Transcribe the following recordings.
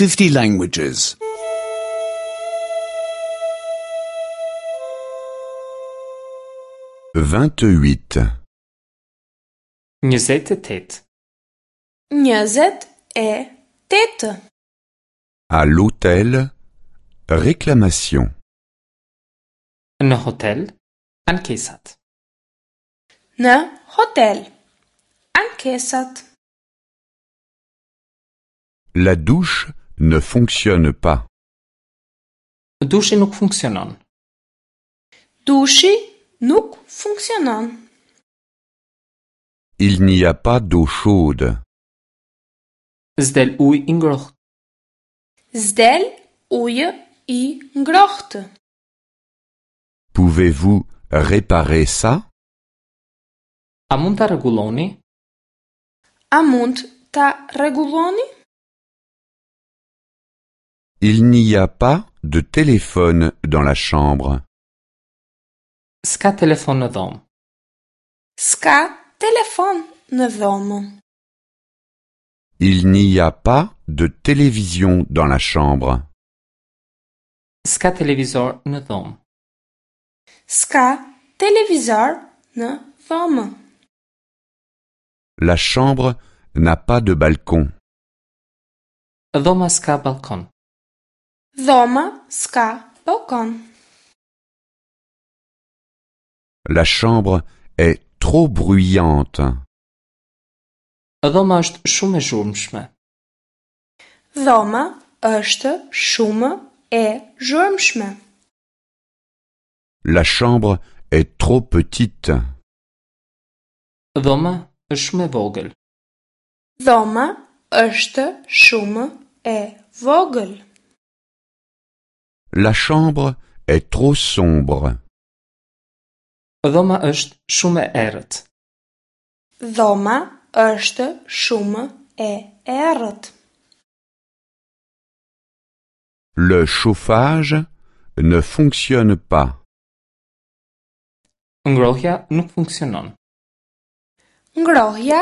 50 languages. 28. 28. 28. À l'hôtel, réclamation. Në hotel, ankesat. Në hotel. Ankesat. La douche ne fonctionne pas. Dushi nuk funksionon. Dushi nuk funksionon. Il n'y a pas d'eau chaude. S'del ujë i ngrohtë. S'del ujë i ngrohtë. Pouvez-vous réparer ça? A mund ta rregulloni? A mund ta rregulloni? Il n'y a pas de téléphone dans la chambre. S'ka telefon në dhomë. S'ka telefon në dhomë. Il n'y a pas de télévision dans la chambre. S'ka televizor në dhomë. S'ka televizor në dhomë. La chambre n'a pas de balcon. Dhoma s'ka balkon. Dhoma s'ka balkon. La chambre est trop bruyante. Dhoma është shumë e zhurmshme. Dhoma është shumë e zhurmshme. La chambre est trop petite. Dhoma është shumë e vogël. Dhoma është shumë e vogël. La chambre est trop sombre. Dhoma është shumë e errët. Dhoma është shumë e errët. Le chauffage ne fonctionne pas. Ngrohja nuk funksionon. Ngrohja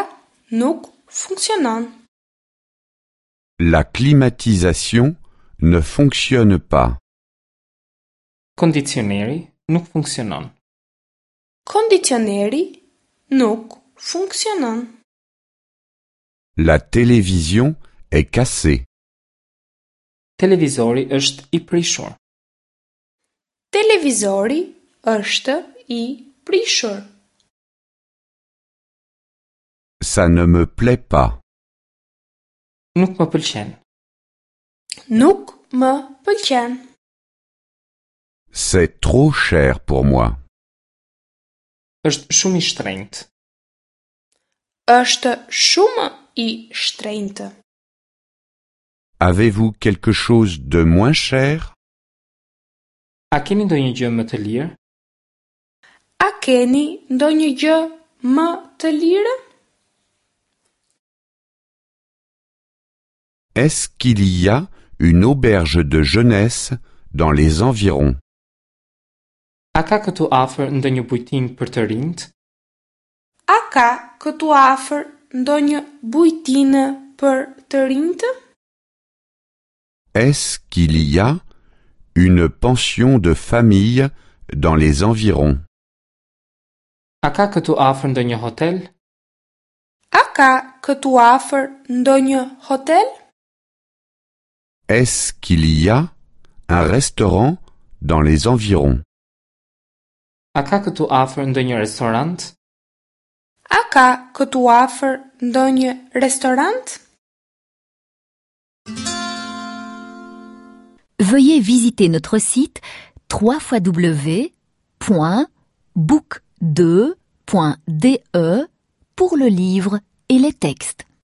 nuk funksionon. La climatisation ne fonctionne pas. Kondicioneri nuk funksionon. Kondicioneri nuk funksionon. La télévision est cassée. Televizori është i prishur. Televizori është i prishur. Ça ne me plaît pas. Nuk më pëlqen. Nuk më pëlqen. C'est trop cher pour moi. Është shumë i shtrenjtë. Është shumë i shtrenjtë. Avez-vous quelque chose de moins cher? A keni ndonjë gjë më të lirë? A keni ndonjë gjë më të lirë? Est-ce qu'il y a une auberge de jeunesse dans les environs? A ka këtu afër ndonjë bujtinë për të rinjt? A ka këtu afër ndonjë bujtinë për të rinjtë? Est-ce qu'il y a une pension de famille dans les environs? A ka këtu afër ndonjë hotel? A ka këtu afër ndonjë hotel? Est-ce qu'il y a un restaurant dans les environs? A ka këtu afër ndonjë restorant? A ka këtu afër ndonjë restorant? Veuillez visiter notre site www.book2.de pour le livre et les textes.